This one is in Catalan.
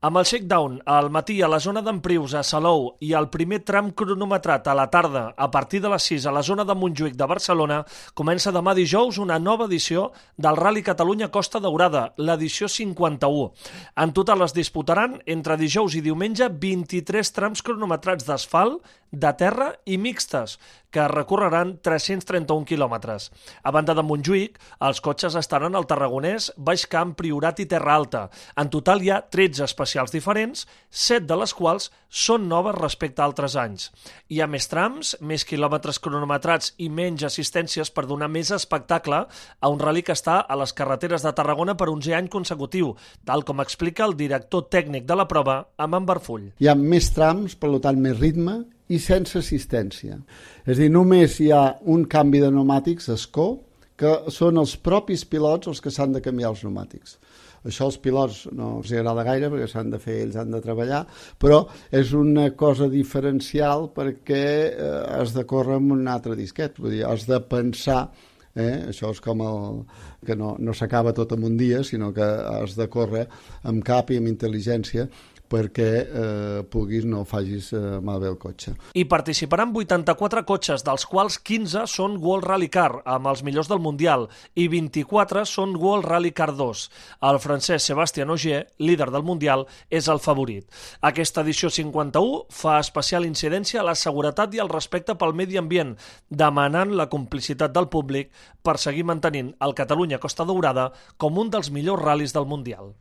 Amb el shakedown al matí a la zona d'Emprius, a Salou, i el primer tram cronometrat a la tarda a partir de les 6 a la zona de Montjuïc de Barcelona, comença demà dijous una nova edició del Rally Catalunya Costa Daurada, l'edició 51. En total es disputaran entre dijous i diumenge 23 trams cronometrats d'asfalt, de terra i mixtes, que recorreran 331 quilòmetres. A banda de Montjuïc, els cotxes estaran al Tarragonès, Baix Camp, Priorat i Terra Alta. En total hi ha 13 especials diferents, 7 de les quals són noves respecte a altres anys. Hi ha més trams, més quilòmetres cronometrats i menys assistències per donar més espectacle a un rally que està a les carreteres de Tarragona per 11 any consecutiu, tal com explica el director tècnic de la prova, Amand Barfull. Hi ha més trams, per tant més ritme, i sense assistència. És a dir, només hi ha un canvi de pneumàtics, escó, que són els propis pilots els que s'han de canviar els pneumàtics. Això als pilots no els agrada gaire perquè s'han de fer, ells han de treballar, però és una cosa diferencial perquè has de córrer amb un altre disquet, vull dir, has de pensar. Això és com que no s'acaba tot en un dia, sinó que has de córrer amb cap i amb intel·ligència perquè no facis malbé el cotxe. Hi participaran 84 cotxes, dels quals 15 són World Rally Car, amb els millors del Mundial, i 24 són World Rally Car 2. El francès Sébastien Ogier, líder del Mundial, és el favorit. Aquesta edició 51 fa especial incidència a la seguretat i al respecte pel medi ambient, demanant la complicitat del públic per seguir mantenint el Catalunya Costa Daurada com un dels millors ral·lis del Mundial.